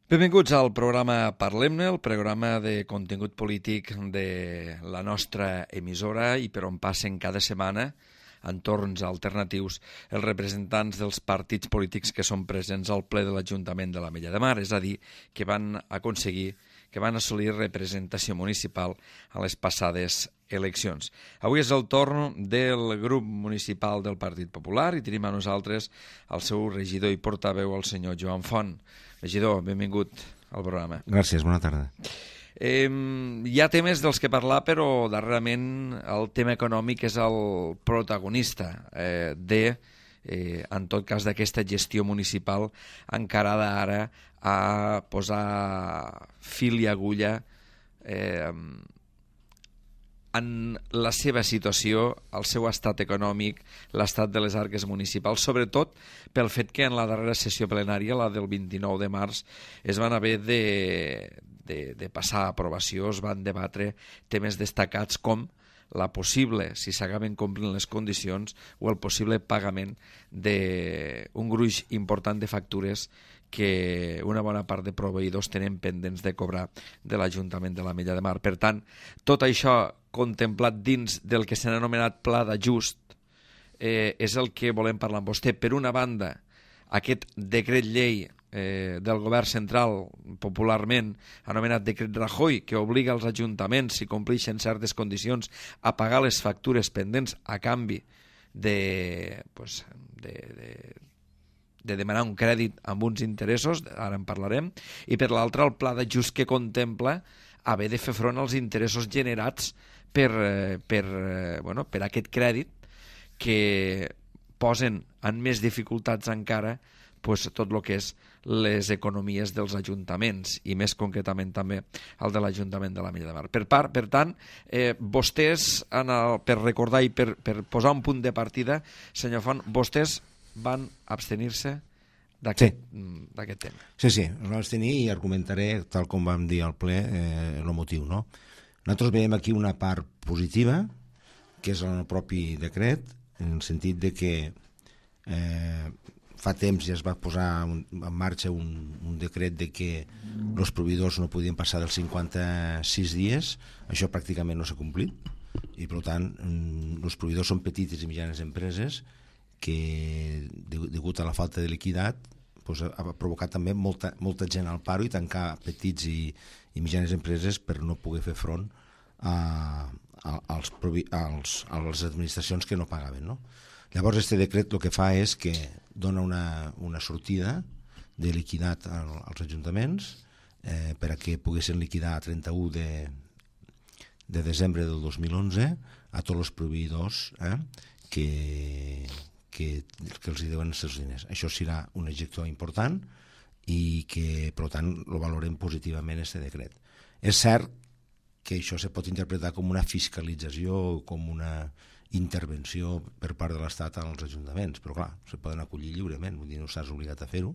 Benvinguts al programa Parlem-ne, el programa de contingut polític de la nostra emissora i per on passen cada setmana entorns alternatius els representants dels partits polítics que són presents al ple de l'Ajuntament de l'Ametlla de Mar, és a dir, que van assolir representació municipal a les passades eleccions. Avui és el torn del grup municipal del Partit Popular i tenim a nosaltres el seu regidor i portaveu, el senyor Joan Font. Regidor, benvingut al programa. Gràcies, bona tarda. Hi ha temes dels que parlar, però darrerament el tema econòmic és el protagonista en tot cas, d'aquesta gestió municipal encarada ara a posar fil i agulla en la seva situació, el seu estat econòmic, l'estat de les arques municipals, sobretot pel fet que en la darrera sessió plenària, la del 29 de març, es van haver de passar a aprovació, es van debatre temes destacats com la possible, si s'acaben complint les condicions, o el possible pagament d'un gruix important de factures que una bona part de proveïdors tenen pendents de cobrar de l'Ajuntament de l'Ametlla de Mar. Per tant, tot això contemplat dins del que s'ha anomenat Pla d'Ajust és el que volem parlar amb vostè. Per una banda, aquest decret llei del govern central, popularment anomenat decret Rajoy, que obliga els ajuntaments, si compleixen certes condicions, a pagar les factures pendents a canvi de demanar un crèdit amb uns interessos, ara en parlarem, i per l'altra el pla d'ajust que contempla haver de fer front als interessos generats per aquest crèdit que posen en més dificultats encara tot el que és les economies dels ajuntaments i més concretament també el de l'Ajuntament de l'Ametlla de Mar. Per tant, vostès, per recordar i per posar un punt de partida, senyor Font, vostès van abstenir-se d'aquest tema. Sí, ens vam abstenir i argumentaré, tal com vam dir al ple, el motiu. No? Nosaltres veiem aquí una part positiva, que és el propi decret, en el sentit de que fa temps ja es va posar en marxa un decret de que els proveïdors no podien passar dels 56 dies, això pràcticament no s'ha complit, i per tant els proveïdors són petites i mitjanes empreses que, degut a la falta de liquidat, ha provocat també molta gent al paro i tancar petits i mitjanes empreses per no poder fer front a les administracions que no pagaven, no? Llavors, este decret el que fa és que dona una sortida de liquidat als ajuntaments per a que poguessin liquidar a 31 de desembre del 2011 a tots els proveïdors que els hi deuen els seus diners. Això serà un objectiu important i que, per tant, el valorem positivament, este decret. És cert que això se pot interpretar com una fiscalització, com una intervenció per part de l'Estat als ajuntaments, però clar, se poden acollir lliurement, vull dir, no estàs obligat a fer-ho,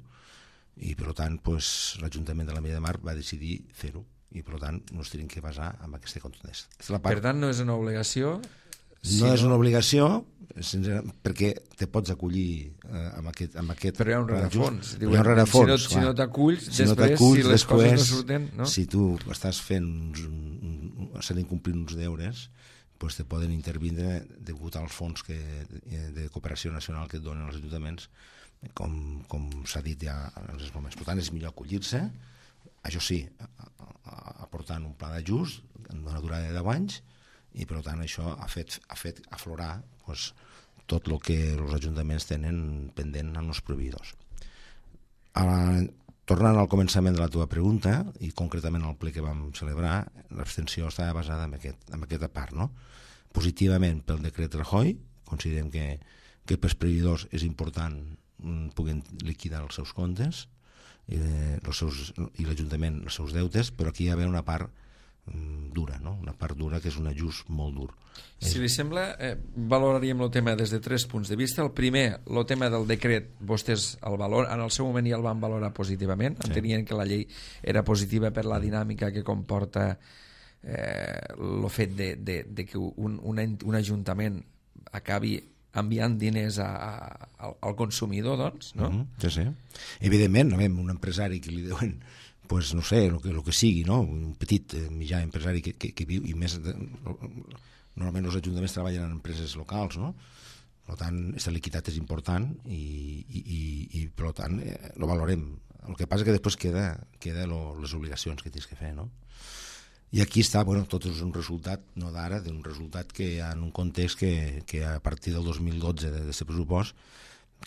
i per tant l'Ajuntament de l'Ametlla de Mar va decidir fer-ho, i per tant no es tenen que basar en aquesta contundència. Per tant, no és una obligació? No és una obligació, perquè te pots acollir amb aquest però hi ha un rerefons. Hi ha un rerefons. Si no t'aculls, després, si les coses no surten... No? Si tu estàs s'han d'incomplir uns deures, doncs te poden intervindre degut als fons de cooperació nacional que et donen els ajuntaments, com s'ha dit ja en els moments. Per tant, és millor acollir-se, això sí, aportant un pla d'ajust en una durada de 10 anys, i per tant això ha fet aflorar tot el que els ajuntaments tenen pendent en els proveïdors. Tornant al començament de la teva pregunta, i concretament al ple que vam celebrar, l'abstenció estava basada en aquesta part, no? Positivament pel decret Rajoy, considerem que pels proveïdors és important poder liquidar els seus comptes i l'Ajuntament els seus deutes, però aquí hi ha una part dura, no? Una part dura que és un ajust molt dur. Si li sembla, valoraríem el tema des de 3 punts de vista. El primer, el tema del decret, vostès en el seu moment ja el van valorar positivament, entenien que la llei era positiva per la dinàmica que comporta el fet de que un ajuntament acabi enviant diners al consumidor, doncs, no? Sí. Evidentment, un empresari que li deuen pues, no sé, el que sigui, no? Un petit mitjà empresari que viu, i més, normalment els ajuntaments treballen en empreses locals, no? Per tant, aquesta liquiditat és important i per tant, lo valorem. El que passa que després queda les obligacions que tens que fer, no? I aquí està, bueno, tot és un resultat, no d'ara, d'un resultat que en un context que a partir del 2012 d'aquest pressupost,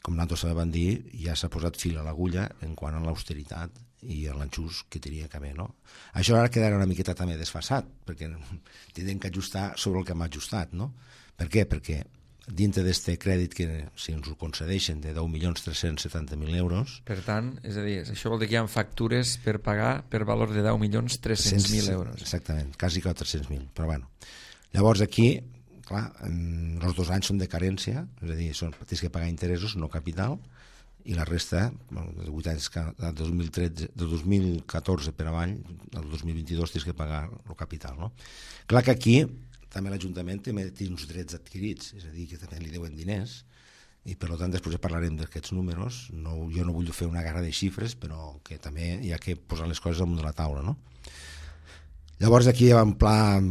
com nosaltres vam dir, ja s'ha posat fil a l'agulla en quant a l'austeritat i a l'enxús que tenia que haver, no? Això ara quedarà una miqueta també desfasat, perquè tindrem que ajustar sobre el que hem ajustat, no? Per què? Perquè dintre d'aquest crèdit que si ens ho concedeixen de 10.370.000 euros... Per tant, és a dir, això vol dir que hi ha factures per pagar per valor de 10.300.000 euros. Exactament, quasi 400.000, però bueno. Llavors aquí, clar, els 2 anys són de carència, és a dir, tens que pagar interessos, no capital, i la resta, de 8 anys, de 2014 per avall, el 2022 tens que pagar el capital, no? Clar que aquí també l'Ajuntament té uns drets adquirits, és a dir, que també li deuen diners, i per tant després parlarem d'aquests números. Jo no vull fer una guerra de xifres, però que també hi ha que posar les coses damunt de la taula, no? Llavors aquí hi ha un pla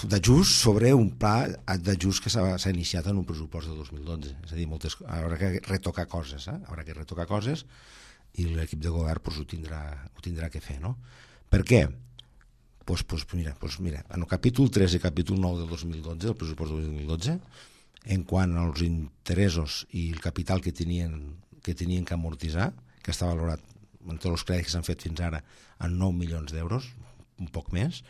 d'ajust sobre un pla d'ajust que s'ha iniciat en un pressupost de 2012, és a dir, haurà que retocar coses, haurà que retocar coses, i l'equip de govern ho tindrà que fer, no? Per què? Pues mira, en el capítol 3 i capítol 9 del 2012, el pressupost del 2012, en quant als interessos i el capital que tenien que amortitzar, que està valorat en tots els crèdits que s'han fet fins ara en 9 milions d'euros, un poc més,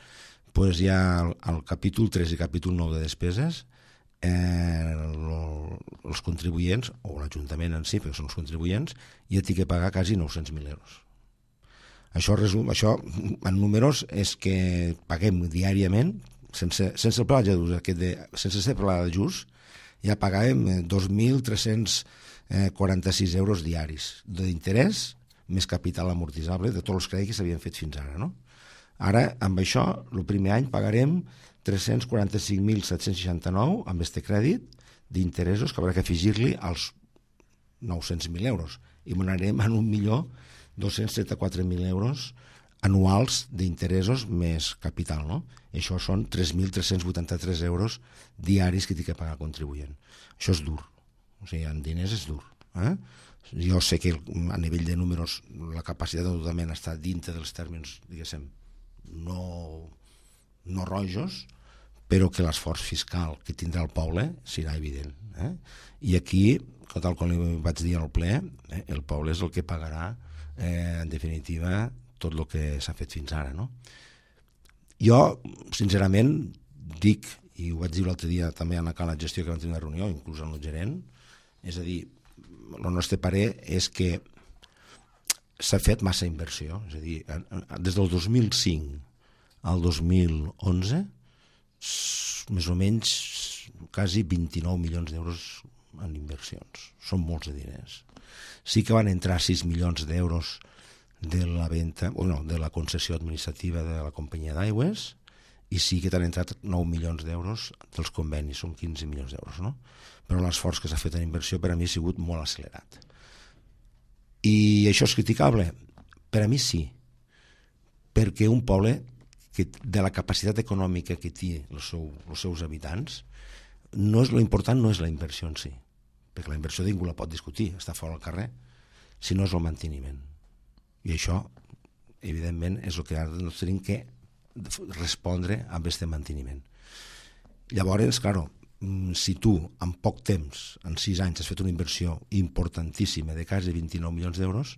doncs hi ha el capítol 3 i capítol 9 de despeses, els contribuents, o l'Ajuntament en si, perquè són els contribuents, ja té que pagar quasi 900.000 euros. Això en números és que paguem diàriament, sense el pla sense ser pla d'ajust, ja pagàvem 2.346 euros diaris d'interès més capital amortitzable de tots els crèdits que s'havien fet fins ara, no? Ara, amb això, el primer any pagarem 345.769 amb aquest crèdit d'interessos que haurà que afegir-li als 900.000 euros i m'anarem en 1.234.000 euros anuals d'interessos més capital, no? Això són 3.383 euros diaris que té que pagar el contribuent. Això és dur, o sigui, en diners és dur. Jo sé que a nivell de números la capacitat d'endeutament està dintre dels tèrmins, diguéssim, no rojos, però que l'esforç fiscal que tindrà el poble serà evident. I aquí, tal com li vaig dir al ple, el poble és el que pagarà, en definitiva, tot el que s'ha fet fins ara, no? Jo, sincerament, dic, i ho vaig dir l'altre dia també en la gestió que vam tenir una reunió, inclús amb el gerent, és a dir, el nostre parer és que s'ha fet massa inversió, és a dir, des del 2005 al 2011, més o menys quasi 29 milions d'euros en inversions. Són molts de diners. Sí que van entrar 6 milions d'euros de la venda, de la concessió administrativa de la companyia d'aigües, i sí que t'han entrat 9 milions d'euros dels convenis, són 15 milions d'euros, no? Però l'esforç que s'ha fet en inversió per a mi ha sigut molt accelerat. I això és criticable? Per a mi sí, perquè un poble que de la capacitat econòmica que té els seus habitants, l'important no és la inversió en si, perquè la inversió ningú la pot discutir, està fora al carrer, sinó és el manteniment. I això, evidentment, és el que ara tenim que respondre amb aquest manteniment. Llavors, clar, si tu en poc temps, en 6 anys, has fet una inversió importantíssima de quasi 29 milions d'euros,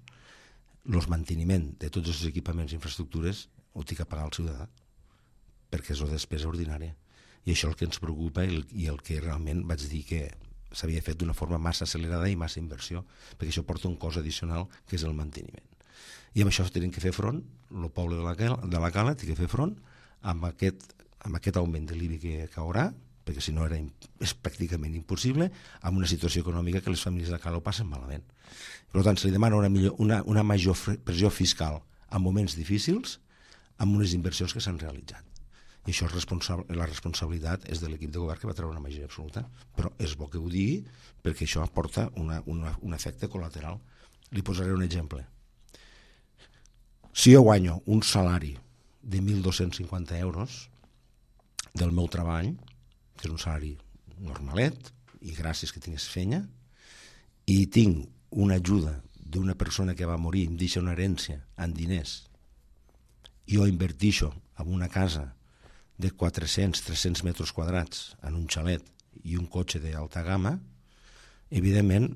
el manteniment de tots els equipaments i infraestructures ho té que pagar el ciutadà, perquè és una despesa ordinària. I això és el que ens preocupa i el que realment vaig dir que s'havia fet d'una forma massa accelerada i massa inversió, perquè això porta un cost addicional que és el manteniment. I amb això tenim que fer front, el poble de la Cala té que fer front amb aquest augment de l'IBI que haurà, perquè si no és pràcticament impossible, amb una situació econòmica que les famílies de Cala ho passen malament. Per tant, se li demana una major pressió fiscal en moments difícils amb unes inversions que s'han realitzat. I això la responsabilitat és de l'equip de govern que va treure una majoria absoluta, però és bo que ho digui perquè això porta un efecte col·lateral. Li posaré un exemple. si jo guanyo un salari de 1.250 euros del meu treball, que és un salari normalet, i gràcies que tingués feina, i tinc una ajuda d'una persona que va morir, em deixa una herència en diners, jo invertixo en una casa de 400-300 metres quadrats en un xalet i un cotxe d'alta gamma, evidentment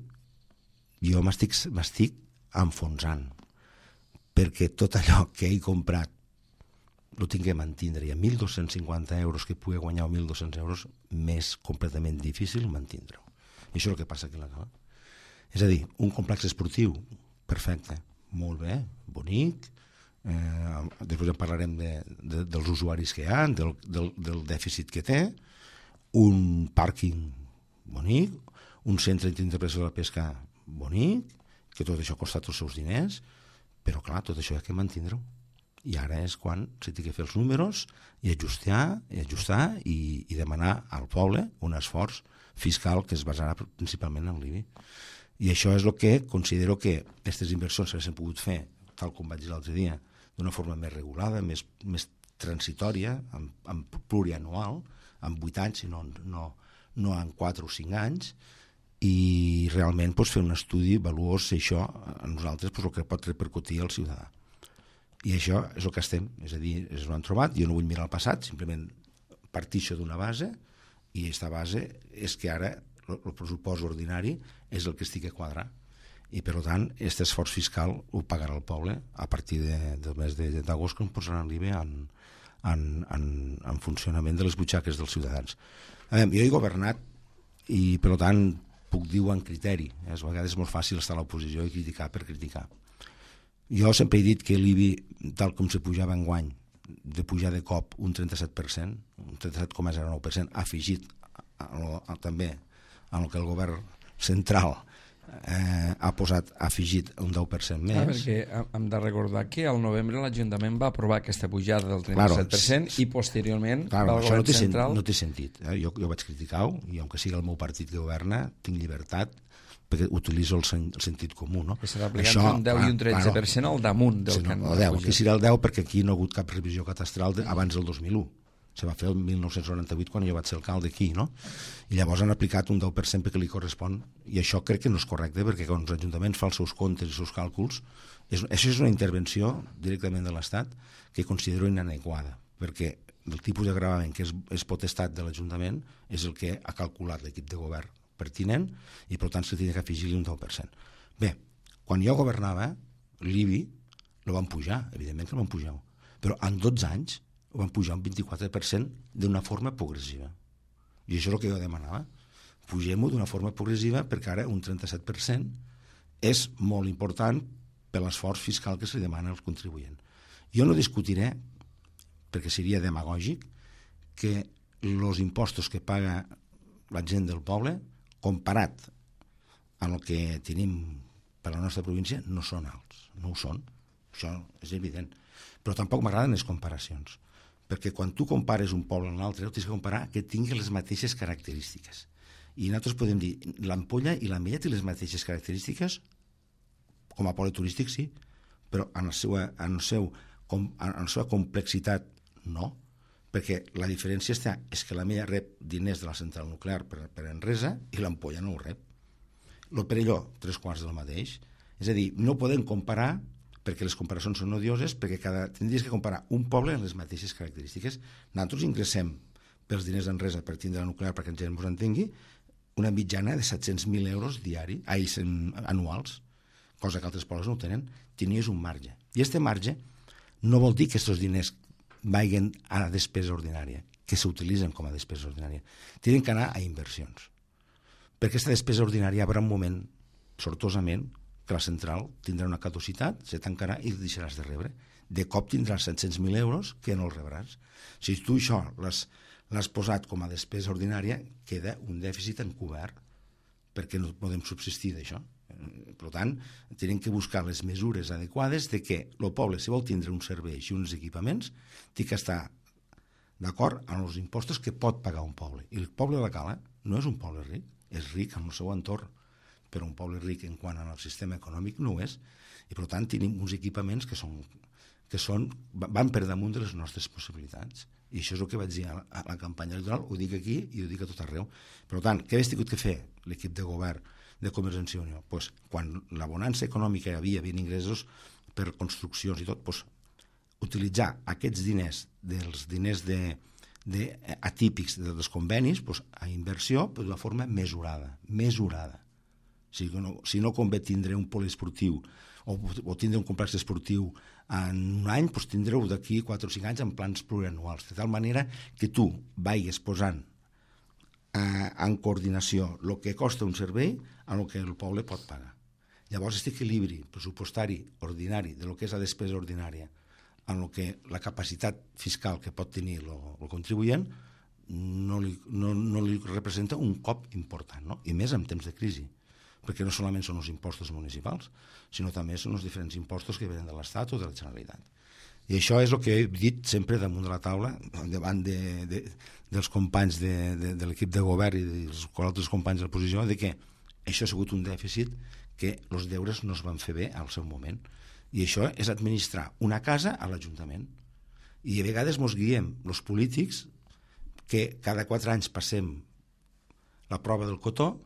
jo m'estic enfonsant, perquè tot allò que he comprat ho tinc que mantindre, i a 1.250 euros que pugui guanyar, o 1.200 euros, m'és completament difícil mantindre-ho. I això és el que passa aquí a la Cala. És a dir, un complex esportiu, perfecte, molt bé, bonic, després en parlarem dels usuaris que hi ha, del dèficit que té, un pàrquing bonic, un centre d'interpretació de la pesca bonic, que tot això costa tots els seus diners, però clar, tot això hi ha que mantindre-ho. I ara és quan s'ha de fer els números i ajustar i demanar al poble un esforç fiscal que es basarà principalment en l'IBI. I això és el que considero que aquestes inversions s'haguessin pogut fer, tal com vaig dir l'altre dia, d'una forma més regulada, més transitòria, amb plurianual, amb 8 anys, no en 4 o 5 anys, i realment fer un estudi valuós si això a nosaltres el que pot repercutir al ciutadà. I això és el que estem, és a dir, ens ho han trobat, jo no vull mirar el passat, simplement partixo d'una base, i aquesta base és que ara el pressupost ordinari és el que estic a quadrar, i per tant aquest esforç fiscal ho pagarà el poble a partir del mes d'agost, que em posaran l'IBI en funcionament de les butxaques dels ciutadans. Jo he governat i per tant puc dir amb criteri, a vegades és molt fàcil estar a l'oposició i criticar per criticar. Jo sempre he dit que l'IBI, tal com se pujava enguany, de pujar de cop un 37%, un 37,09%, afegit també en el que el govern central ha afegit un 10% més. Perquè hem de recordar que al novembre l'Ajuntament va aprovar aquesta pujada del 37% i posteriorment el govern central... No té sentit. Jo vaig criticar-ho, i aunque sigui el meu partit que governa, tinc llibertat, perquè utilitzo el sentit comú. No? Que serà aplicant un 10 i un 13% al damunt del que han pujat. Aquí serà el 10 perquè aquí no ha hagut cap revisió catastral abans del 2001. Se va fer el 1998 quan jo vaig ser alcalde aquí, no? I llavors han aplicat un 10% perquè li correspon, i això crec que no és correcte, perquè quan els ajuntaments fan els seus comptes i els seus càlculs, això és una intervenció directament de l'Estat que considero inadequada, perquè el tipus de gravament que és potestat de l'Ajuntament és el que ha calculat l'equip de govern pertinent, i per tant se tenia que afegir-li un 10%. Bé, quan jo governava, l'IBI el van pujar, evidentment que el van pujar, però en 12 anys ho van pujar un 24% d'una forma progressiva. I això és el que jo demanava. Pugem-ho d'una forma progressiva, perquè ara un 37% és molt important per l'esforç fiscal que se demana als contribuents. Jo no discutiré, perquè seria demagògic, que els impostos que paga la gent del poble, comparat amb el que tenim per a la nostra província, no són alts. No ho són. Això és evident. Però tampoc m'agraden les comparacions, perquè quan tu compares un poble amb l'altre, tens que comparar que tingui les mateixes característiques. I nosaltres podem dir, l'Ampolla i l'Ametlla té les mateixes característiques, com a poble turístic sí, però en la seva complexitat no, perquè la diferència és que l'Ametlla rep diners de la central nuclear per Enresa i l'Ampolla no ho rep. El Perelló, 3/4 del mateix. És a dir, no podem comparar, perquè les comparacions són odioses, perquè tindries que comparar un poble amb les mateixes característiques. Nosaltres ingressem pels diners d'Enresa per tindre la nuclear, perquè gent ens entengui, una mitjana de 700.000 euros anuals, cosa que altres pobles no tenen. Tenies un marge. I aquest marge no vol dir que aquests diners vagin a despesa ordinària, que s'utilitzen com a despesa ordinària. Tenen que anar a inversions. Per aquesta despesa ordinària hi haurà un moment, sortosament, que la central tindrà una caducitat, se tancarà i deixaràs de rebre. De cop tindràs 700.000 euros que no els rebràs. Si tu això l'has posat com a despesa ordinària, queda un dèficit encobert, perquè no podem subsistir d'això. Per tant, tenim que buscar les mesures adequades de que el poble, si vol tindre uns serveis i uns equipaments, té que estar d'acord amb els impostos que pot pagar un poble. I el poble de la Cala no és un poble ric, és ric en el seu entorn, però un poble ric en quant al sistema econòmic no ho és, i per tant tenim uns equipaments que que van per damunt de les nostres possibilitats. I això és el que vaig dir a la campanya electoral, ho dic aquí i ho dic a tot arreu. Per tant, què hagués tingut que fer l'equip de govern de Convergència i Unió? Pues, quan la bonança econòmica hi havia ingressos per construccions i tot, pues, utilitzar aquests diners, dels diners atípics dels convenis, pues, a inversió però d'una forma mesurada. Si no convé tindre un poliesportiu o tindre un complex esportiu en un any, doncs tindreu d'aquí 4 o 5 anys en plans plurianuals, de tal manera que tu vagis posant en coordinació el que costa un servei amb el que el poble pot pagar. Llavors, aquest equilibri pressupostari ordinari de lo que és la despesa ordinària amb el que la capacitat fiscal que pot tenir el contribuent no li representa un cop important, no? I més en temps de crisi, perquè no solament són els impostos municipals, sinó també són els diferents impostos que venen de l'Estat o de la Generalitat. I això és el que he dit sempre damunt de la taula, davant dels companys de l'equip de govern i dels altres companys de l'oposició, de que això ha sigut un dèficit que els deures no es van fer bé al seu moment. I això és administrar una casa a l'Ajuntament. I a vegades ens guiem els polítics que cada 4 anys passem la prova del cotó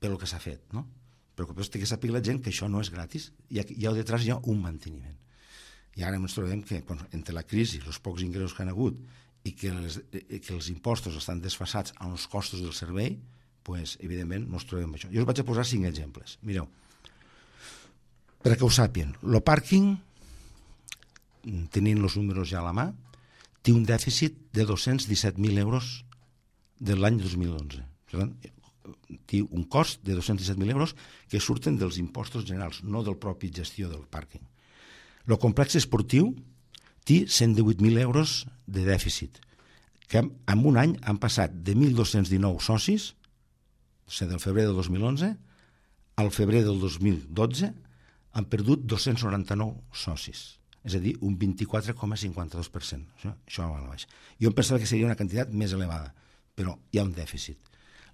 pel que s'ha fet, no? Però que té que saber la gent que això no és gratis, hi ha detrás un manteniment. I ara ens trobem que entre la crisi, els pocs ingressos que han hagut i que els impostos estan desfasats amb els costos del servei, pues, evidentment ens trobem amb això. Jo us vaig a posar 5 exemples. Mireu, perquè ho sàpien, el pàrquing, tenint els números ja a la mà, té un dèficit de 217.000 euros de l'any 2011. Té un cost de 217.000 euros que surten dels impostos generals, no del propi gestió del pàrquing. El complex esportiu té 118.000 euros de dèficit, que en un any han passat de 1.219 socis, o sigui, del febrer del 2011 al febrer del 2012 han perdut 299 socis, és a dir, un 24,52%. Això va a la baixa. Jo em pensava que seria una quantitat més elevada, però hi ha un dèficit.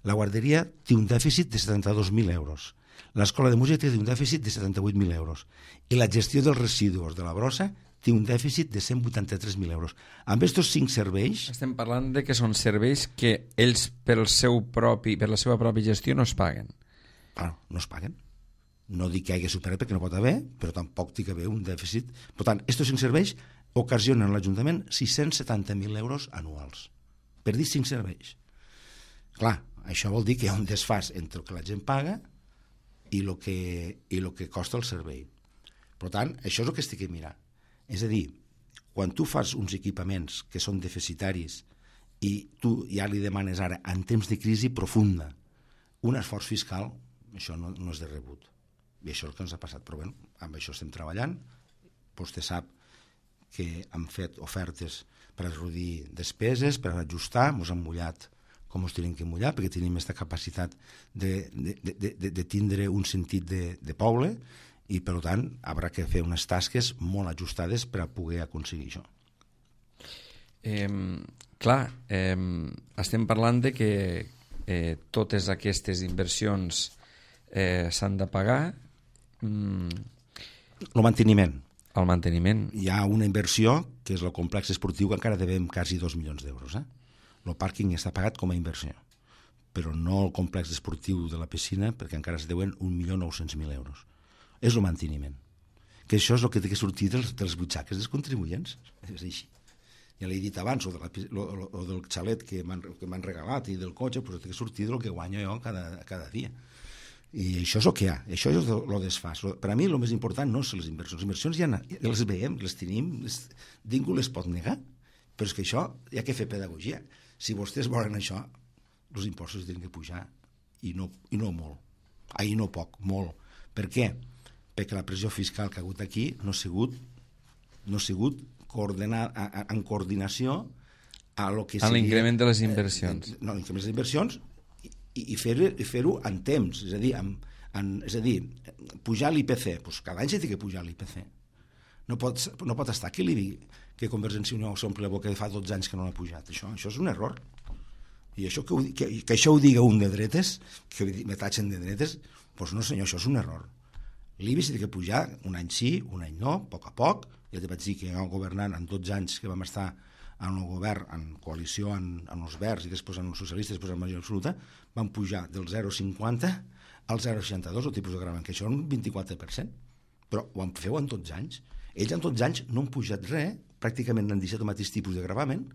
La guarderia té un dèficit de 72.000 euros. L'escola de música té un dèficit de 78.000 euros. I la gestió dels residus de la brossa té un dèficit de 183.000 euros. Amb aquests 5 serveis... Estem parlant de que són serveis que ells per la seva pròpia gestió no es paguen. No es paguen. No dic que hagi superat perquè no pot haver, però tampoc té que haver un dèficit. Per tant, aquests 5 serveis ocasionen a l'Ajuntament 670.000 euros anuals. Per dir 5 serveis. Clar, això vol dir que hi ha un desfàs entre el que la gent paga i el que costa el servei. Per tant, això és el que estic a mirar. És a dir, quan tu fas uns equipaments que són deficitaris i tu ja li demanes ara, en temps de crisi profunda, un esforç fiscal, això no és de rebut. I això és el que ens ha passat. Però bé, amb això estem treballant. Vostè sap que hem fet ofertes per a reduir despeses, per a ajustar, ens han mullat com ens tenim que mullar, perquè tenim aquesta capacitat de tindre un sentit de poble i, per tant, haurà que fer unes tasques molt ajustades per a poder aconseguir això. Estem parlant de que totes aquestes inversions s'han de pagar. El manteniment. El manteniment. Hi ha una inversió, que és el complex esportiu, que encara devem quasi 2 milions d'euros, El pàrquing està pagat com a inversió, però no el complex esportiu de la piscina, perquè encara es deuen 1.900.000 euros. És el manteniment. Que això és el que té que sortir de les butxaques dels contribuents. És així. Ja l'he dit abans, o del xalet que m'han regalat i del cotxe, però té que sortir del que guanyo jo cada dia. I això és el que hi ha, això és el desfàs. Per a mi el més important no són les inversions. Les inversions ja les veiem, les tenim, ningú les pot negar, però és que això hi ha que fer pedagogia. Si vostès volen això, els impostos tenen que pujar, i no molt. I no poc, molt. Per què? Perquè la pressió fiscal que ha hagut aquí no ha sigut en coordinació a lo que seria... l'increment de les inversions. L'increment de les inversions i fer-ho en temps, és a dir, pujar l'IPC. Doncs cada any s'ha de pujar l'IPC. No pot estar aquí que Convergència i Unió s'omple la boca de fa 12 anys que no l'ha pujat. Això és un error. I això que això ho diga un de dretes, que me tatxen de dretes, doncs no senyor, això és un error. L'IBI s'ha de pujar un any sí, un any no, a poc, Ja te vaig dir que governant en 12 anys que vam estar en el govern, en coalició amb els Verds i després amb els socialistes, després amb la majoria absoluta, van pujar del 0,50 al 0,62 el tipus de gravamen, que això és un 24%. Però ho han fet en 12 anys. Ells en 12 anys no han pujat res, pràcticament han deixat el mateix tipus de gravamen,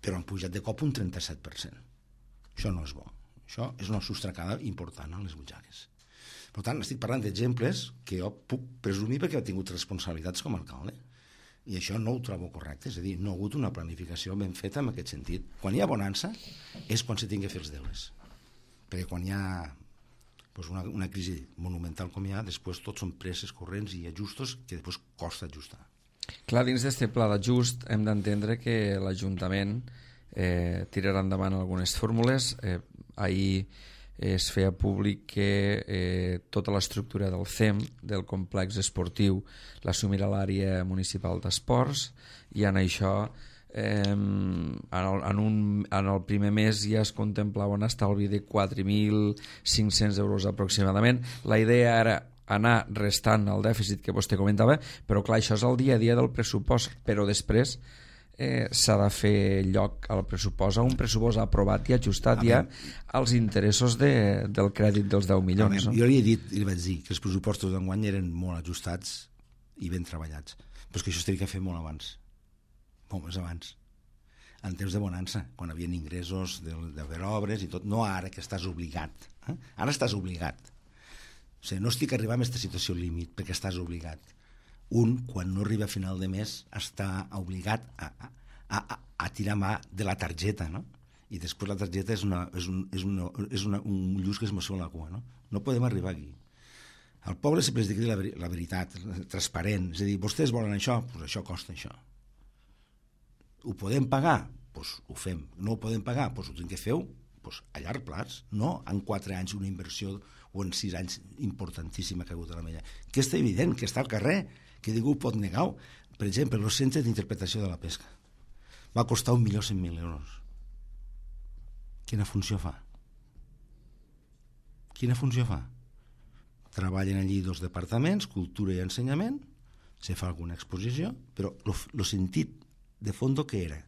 però han pujat de cop un 37%. Això no és bo. Això és una sostracada important a les butxaques. Per tant, estic parlant d'exemples que jo puc presumir perquè he tingut responsabilitats com a alcalde. I això no ho trobo correcte, és a dir, no ha hagut una planificació ben feta en aquest sentit. Quan hi ha bonança és quan se tingui que fer els deures. Perquè quan hi ha una crisi monumental com hi ha, després tots són presses corrents i ajustos que després costa ajustar. Clar, dins d'aquest pla d'ajust hem d'entendre que l'Ajuntament tirarà endavant algunes fórmules. Ahir es feia públic que tota l'estructura del CEM, del complex esportiu, l'assumirà l'àrea municipal d'esports, i en això en el primer mes ja es contemplava un estalvi de 4.500 euros aproximadament. La idea era anar restant el dèficit que vostè comentava, però clar, això és el dia a dia del pressupost, però després s'ha de fer lloc al pressupost, a un pressupost aprovat i ajustat ja als interessos del crèdit dels 10 milions. No? Jo li he dit, i li vaig dir, que els pressupostos d'enguany eren molt ajustats i ben treballats, però és que això s'hauria de fer molt abans, molt més abans, en temps de bonança, quan hi havia ingressos d'haver obres i tot, no ara que estàs obligat. Ara estàs obligat. O sigui, no estic arribant a aquesta situació límit perquè estàs obligat. Un, quan no arriba a final de mes, està obligat a tirar mà de la targeta, no? I després la targeta és un lluç que es mossega la cua, no? No podem arribar aquí. Al poble sempre es digui la veritat, transparent, és a dir, vostès volen això, doncs això costa això. Ho podem pagar? Doncs ho fem. No ho podem pagar? Doncs ho tenim que fer a llarg plaç, no en 4 anys una inversió o en 6 anys importantíssima que ha hagut a la Mella. Que està evident, que està al carrer, que ningú pot negar. Per exemple, el centre d'interpretació de la pesca va costar 1.100.000 euros. Quina funció fa? Quina funció fa? Treballen allí 2 departaments, cultura i ensenyament, se fa alguna exposició, però el sentit de fons que era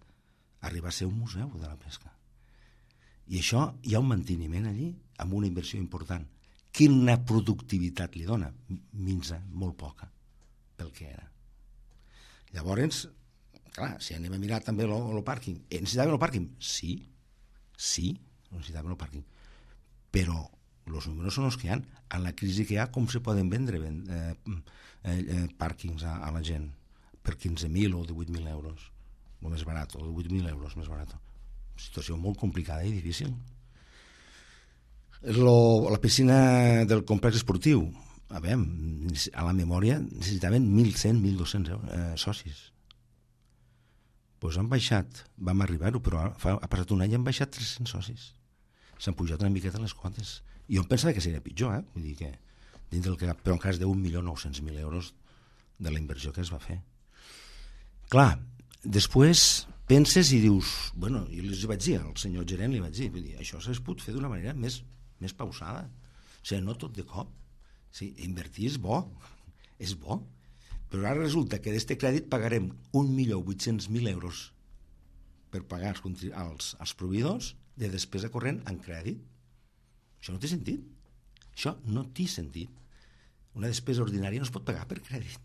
arribar a ser un museu de la pesca. I això hi ha un manteniment allí amb una inversió important. Quina productivitat li dona? Minsa, molt poca, pel que era. Llavors, clar, si anem a mirar també el pàrquing, necessitaven el pàrquing? Sí, necessitaven el pàrquing. Però els números són els que hi ha. En la crisi que hi ha, com se poden vendre pàrquings a la gent? Per 15.000 o 18.000 euros. El més barat, o 8.000 euros més barat. Situació molt complicada i difícil. La piscina del complex esportiu, a la memòria necessitaven 1.100, 1.200 socis. Doncs han baixat, vam arribar-ho, però ha passat un any i han baixat 300 socis. S'han pujat una miqueta les quotes. I jo em pensava que seria pitjor, vull dir que dins del que, però en cas de 1.900.000 euros de la inversió que es va fer. Clar, després penses i dius, bueno, jo els vaig dir, al senyor gerent li vaig dir, això s'ha pogut fer d'una manera més pausada. O sigui, no tot de cop. O sigui, invertir és bo, però ara resulta que d'este crèdit pagarem 1.800.000 euros per pagar als proveïdors de despesa corrent en crèdit. Això no té sentit. Això no té sentit. Una despesa ordinària no es pot pagar per crèdit.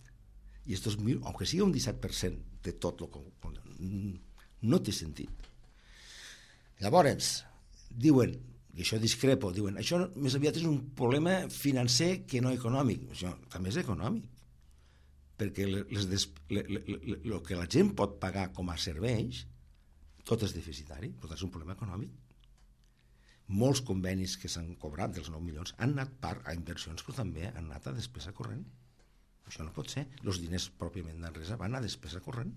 I estos, aunque sigui un 17% de tot el que no té sentit. Llavors, diuen, i això discrepo, diuen, això més aviat és un problema financer que no econòmic. Això també és econòmic, perquè el que la gent pot pagar com a serveis, tot és deficitari, però és un problema econòmic. Molts convenis que s'han cobrat dels 9 milions han anat part a inversions, però també han anat a despesa corrent. Això no pot ser. Els diners pròpiament d'Enresa van a despesa corrent.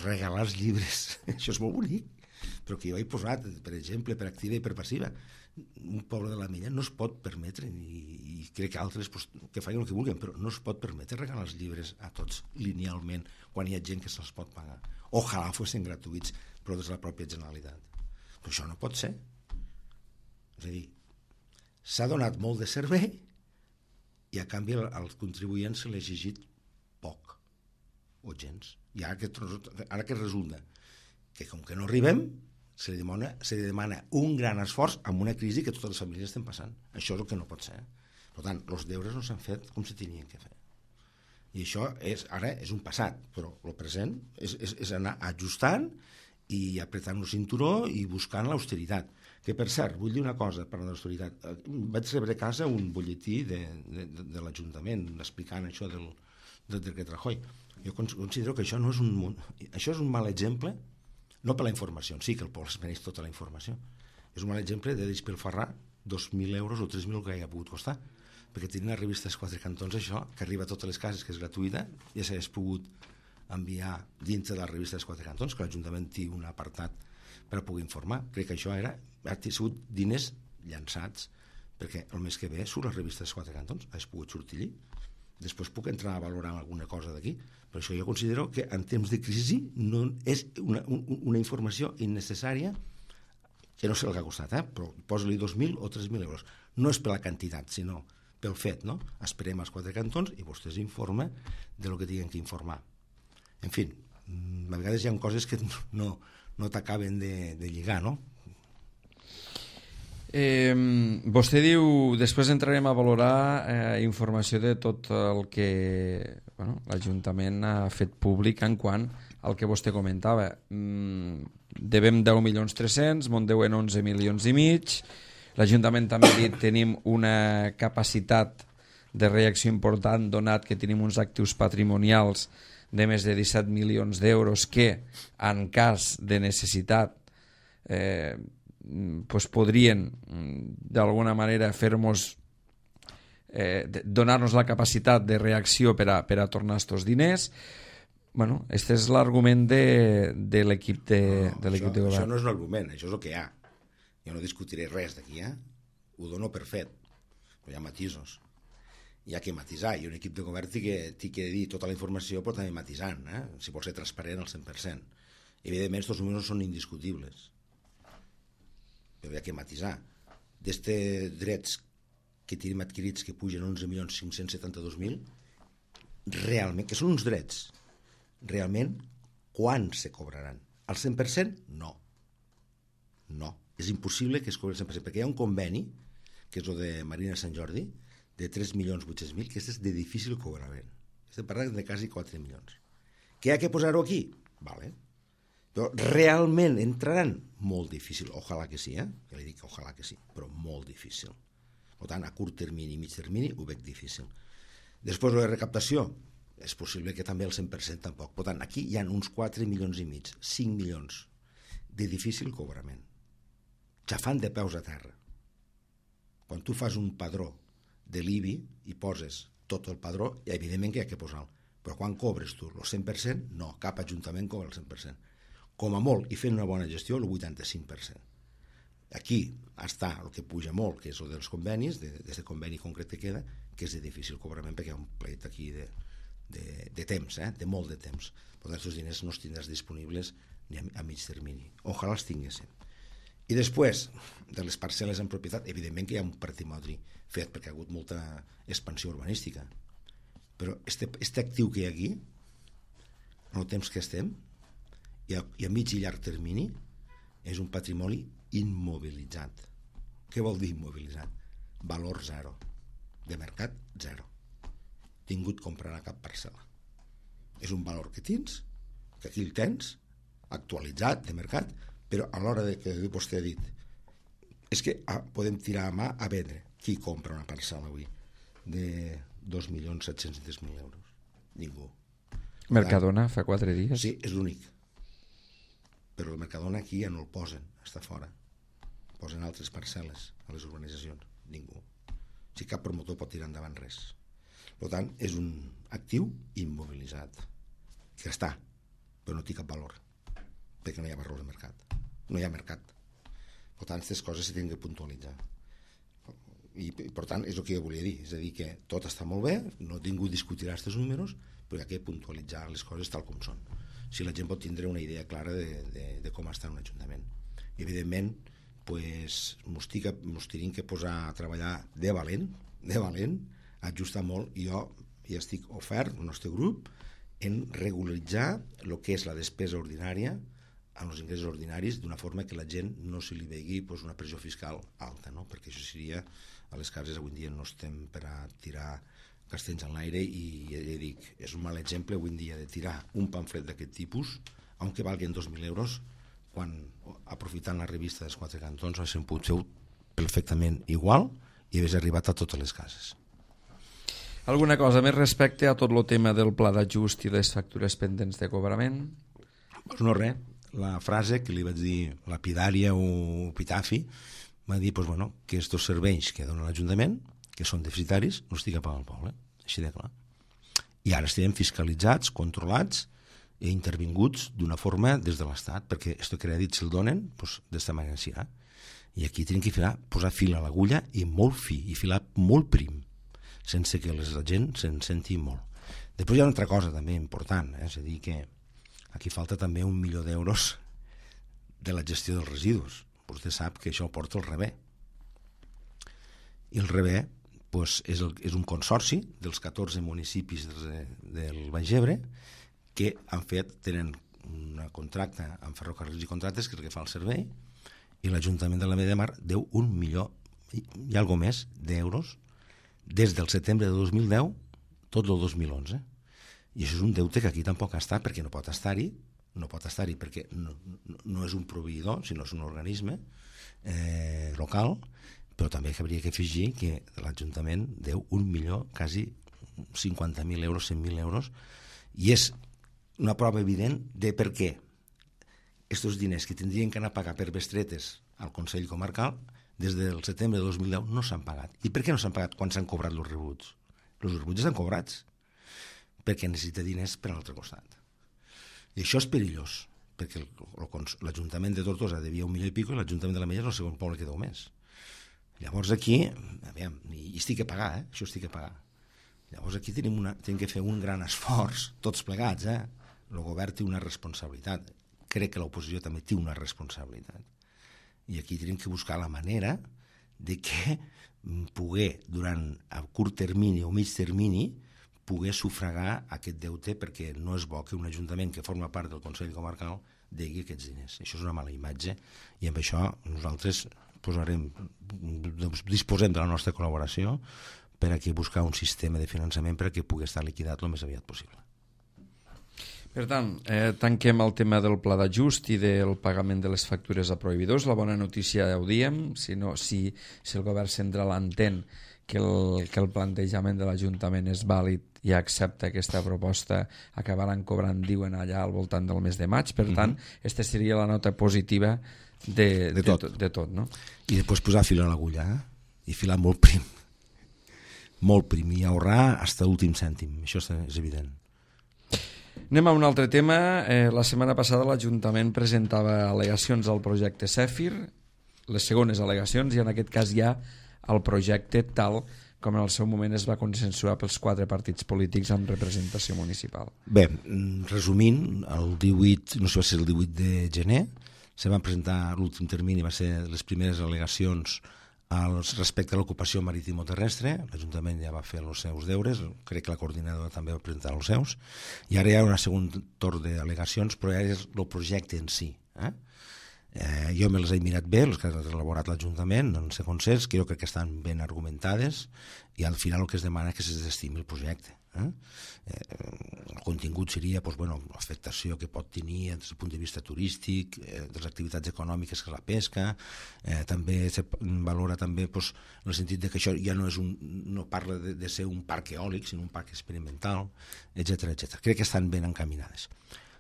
Regalar els llibres, això és molt bonic, però que jo he posat, per exemple, per activa i per passiva. Un poble de la Mella no es pot permetre, i crec que altres que facin el que vulguin, però no es pot permetre regalar els llibres a tots linealment quan hi ha gent que se'ls pot pagar. Ojalà fossin gratuïts, però des de la pròpia Generalitat. Però això no pot ser. És a dir, s'ha donat molt de servei i a canvi als contribuents se l'ha exigit poc. o gens. I ara que resulta que com que no arribem, se li demana un gran esforç amb una crisi que totes les famílies estem passant. Això és el que no pot ser. Per tant, els deures no s'han fet com se tenien que fer. I això ara és un passat, però el present és anar ajustant i apretant el cinturó i buscant l'austeritat. Que, per cert, vull dir una cosa parlant d'austeritat. Vaig rebre a casa un butlletí de l'Ajuntament explicant això del decret Rajoy. Jo considero que això és un mal exemple, no per la informació, sí que el poble es mereix tota la informació. És un mal exemple de despilfarrar 2.000 euros o 3.000 que hagi pogut costar. Perquè tenint les revistes Quatre Cantons, això, que arriba a totes les cases, que és gratuïta, ja s'hagués pogut enviar dintre de les revistes Quatre Cantons, que l'Ajuntament té un apartat per a poder informar. Crec que això ha sigut diners llançats, perquè el mes que ve surt les revistes Quatre Cantons, has pogut sortir allí. Després puc entrar a valorar alguna cosa d'aquí, però això jo considero que en temps de crisi no és una informació innecessària, que no sé el que ha costat, però posa-li 2.000 o 3.000 euros. No és per la quantitat, sinó pel fet, no? Esperem als Quatre Cantons i vostès informen de lo que tinguin que informar. En fi, a vegades hi ha coses que no t'acaben de lligar, no? Vostè diu, després entrarem a valorar informació de tot el que l'Ajuntament ha fet públic en quant al que vostè comentava. Devem 10.300.000, me'n deuen 11,5 milions. L'Ajuntament també ha dit tenim una capacitat de reacció important donat que tenim uns actius patrimonials de més de 17 milions d'euros que en cas de necessitat podrien d'alguna manera fer-nos donar-nos la capacitat de reacció per a tornar aquests diners. Bueno, este és l'argument de l'equip de govern. Això no és un argument, això és el que hi ha. Jo no discutiré res d'aquí, ho dono per fet, però hi ha matisos. Hi ha que matisar, i un equip de govern té que dir tota la informació, però també matisant, si vol ser transparent al 100%. Evidentment, aquests números són indiscutibles, però hi ha que matisar. D'estes drets que tenim adquirits que pugen 11.572.000, realment, que són uns drets, realment, quan se cobraran? Al 100%? No. No. És impossible que es cobri el 100%, perquè hi ha un conveni, que és el de Marina Sant Jordi, de 3.800.000, que és de difícil cobrament. Estem parlant de quasi 4 milions. Què hi ha que posar-ho aquí? Vale. Però realment entraran? Molt difícil. Ojalà que sí, Ja li dic que ojalà que sí, però molt difícil. Per tant, a curt termini i mig termini ho veig difícil. Després, la recaptació, és possible que també el 100% tampoc. Per tant, aquí hi ha uns 4 milions i mig, 5 milions de difícil cobrament. Xafant de peus a terra. Quan tu fas un padró de l'IBI i poses tot el padró, evidentment que hi ha que posar-lo. Però quan cobres tu el 100%, no, cap ajuntament cobra el 100%. Com a molt, i fent una bona gestió, el 85%. Aquí està el que puja molt, que és el dels convenis, d'aquest conveni concret que queda, que és de difícil cobrament, perquè hi ha un plet aquí de temps, de molt de temps. Per tant, aquests diners no els tindràs disponibles ni a mig termini. Ojalà els tinguéssim. I després, de les parcel·les en propietat, evidentment que hi ha un patrimoni fet, perquè ha hagut molta expansió urbanística. Però este actiu que hi ha aquí, en el temps que estem, i a mig i llarg termini, és un patrimoni immobilitzat. Què vol dir immobilitzat? Valor zero. De mercat, zero. Tingut comprarà cap parcel·la. És un valor que tens, que aquí el tens, actualitzat, de mercat, però a l'hora que vostè ha dit és que podem tirar a mà a vendre. Qui compra una parcel·la avui de 2.700.000 euros? Ningú. Mercadona fa 4 dies? Sí, és l'únic. Però el Mercadona aquí ja no el posen, està fora. Posen altres parcel·les a les urbanitzacions. Ningú. Si cap promotor pot tirar endavant res. Per tant, és un actiu immobilitzat que està, però no té cap valor, perquè no hi ha valor de mercat. No hi ha mercat. Per tant, aquestes coses s'han de puntualitzar. I per tant, és el que jo volia dir. És a dir, que tot està molt bé, no ningú discutirà aquests números, però hi ha que puntualitzar les coses tal com són. Si la gent pot tindre una idea clara de com està un ajuntament. I, evidentment, mos tenim que posar a treballar de valent, ajustar molt, i jo ja estic ofert, el nostre grup, en regularitzar el que és la despesa ordinària amb els ingressos ordinaris d'una forma que la gent no se li vegi una pressió fiscal alta, no? Perquè això seria, a les cases avui en dia no estem per a tirar castells en l'aire i ja dic, és un mal exemple avui en dia de tirar un pamflet d'aquest tipus, aunque valguen 2.000 euros, quan aprofitant la revista dels Quatre Cantons haguéssim pogut fer perfectament igual i hagués arribat a totes les cases. Alguna cosa més respecte a tot el tema del pla d'ajust i les factures pendents de cobrament? Pues no res, la frase que li vaig dir lapidària o epitafi va dir que aquests serveis que dona l'Ajuntament, que són deficitaris, no estigui a pagar el poble, així de clar. I ara estem fiscalitzats, controlats i intervinguts d'una forma des de l'Estat, perquè aquest crèdit si el donen, d'esta manera s'hi ha. I aquí tenim que posar fil a l'agulla i molt fi, i filar molt prim, sense que la gent se'n senti molt. Després hi ha una altra cosa també important, és a dir, que aquí falta també 1 milió d'euros de la gestió dels residus. Vostè sap que això porta el REBE. I el REBE és un consorci dels 14 municipis del Baix Ebre que tenen un contracte amb Ferrocarrils i Contractes, que és el que fa el servei, i l'Ajuntament de la Vall de Mar deu 1 milió i alguna més d'euros des del setembre de 2010 tot el 2011. I això és un deute que aquí tampoc ha estat, perquè no pot estar-hi perquè no és un proveïdor, sinó és un organisme local, però també hauria que afegir que l'Ajuntament deu 1 milió, quasi 50.000 euros, 100.000 euros, i és una prova evident de per què aquests diners que tindrien que anar a pagar per bestretes al Consell Comarcal des del setembre de 2010 no s'han pagat. I per què no s'han pagat quan s'han cobrat els rebuts? Els rebuts estan cobrats perquè necessita diners per a l'altre costat. I això és perillós, perquè l'Ajuntament de Tortosa devia 1 milió i pico i l'Ajuntament de la Mella és el segon poble que deu més. Llavors aquí, i estic a pagar, això estic a pagar. Llavors aquí tenim que fer un gran esforç, tots plegats, el govern té una responsabilitat, crec que l'oposició també té una responsabilitat, i aquí tenim que buscar la manera de que poder, durant a curt termini o mig termini, poder sufragar aquest deute, perquè no és bo que un ajuntament que forma part del Consell Comarcal degui aquests diners. Això és una mala imatge, i amb això nosaltres disposem de la nostra col·laboració per a buscar un sistema de finançament per a que pugui estar liquidat el més aviat possible. Per tant, tanquem el tema del pla d'ajust i del pagament de les factures a proveïdors. La bona notícia ja ho diem, si el govern central entén que el plantejament de l'Ajuntament és vàlid i accepta aquesta proposta, acabaran cobrant, diuen allà, al voltant del mes de maig. Per tant, aquesta seria la nota positiva de tot, no? I després posar fil a l'agulla, i filar molt prim, i ahorrar fins a l'últim cèntim, això és evident. Anem a un altre tema. La setmana passada l'Ajuntament presentava al·legacions al projecte Zèfir, les segones al·legacions, i en aquest cas ja el projecte tal com en el seu moment es va consensuar pels 4 partits polítics amb representació municipal. Bé, resumint, el 18, no sé si va ser el 18 de gener, se van presentar, l'últim termini va ser les primeres al·legacions respecte a l'ocupació marítim-terrestre. L'Ajuntament ja va fer els seus deures, crec que la coordinadora també va presentar els seus, i ara hi ha un segon torn d'al·legacions, però ja és el projecte en si. Jo me les he mirat bé, les que ha elaborat l'Ajuntament, en ser consens, que jo crec que estan ben argumentades, i al final el que es demana és que es desestimi el projecte. El contingut seria l'afectació que pot tenir des del punt de vista turístic, de les activitats econòmiques que és la pesca, també se valora també en el sentit que això ja no parla de ser un parc eòlic, sinó un parc experimental, etc. Crec que estan ben encaminades.